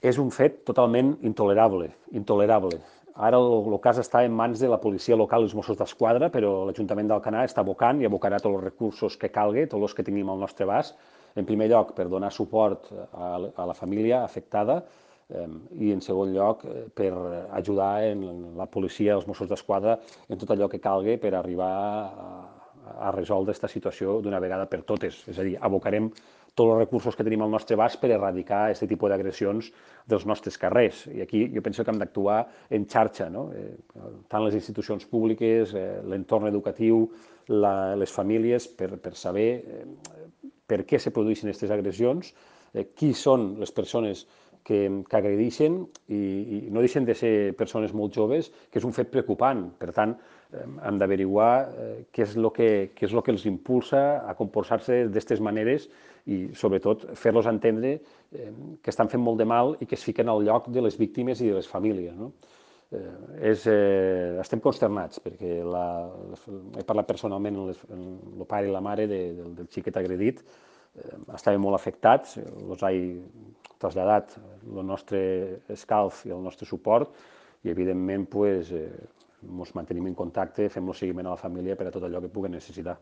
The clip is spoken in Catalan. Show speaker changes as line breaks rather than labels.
És un fet totalment intolerable, intolerable. Ara el cas està en mans de la policia local i els Mossos d'Esquadra, però l'Ajuntament d'Alcanar està abocant i abocarà tots els recursos que calgui, tots els que tinguem al nostre abast, en primer lloc per donar suport a la família afectada i en segon lloc per ajudar en la policia, els Mossos d'Esquadra, en tot allò que calgui per arribar a resoldre aquesta situació d'una vegada per totes. És a dir, abocarem tots els recursos que tenim al nostre abast per erradicar aquest tipus d'agressions dels nostres carrers. I aquí jo penso que hem d'actuar en xarxa, no? Tant les institucions públiques, l'entorn educatiu, les famílies, per saber per què se produeixen aquestes agressions, qui són les persones que agredixen i no deixen de ser persones molt joves, que és un fet preocupant. Per tant, hem d'averiguar què és el que els impulsa a comportar-se d'aquestes maneres i, sobretot, fer-los entendre que estan fent molt de mal i que es fiquen al lloc de les víctimes i de les famílies. No? Estem consternats perquè he parlat personalment amb el pare i la mare del xiquet agredit, estaven molt afectats, els he traslladat el nostre escalf i el nostre suport i, evidentment, ens mantenim en contacte, fem el seguiment a la família per a tot allò que puguen necessitar.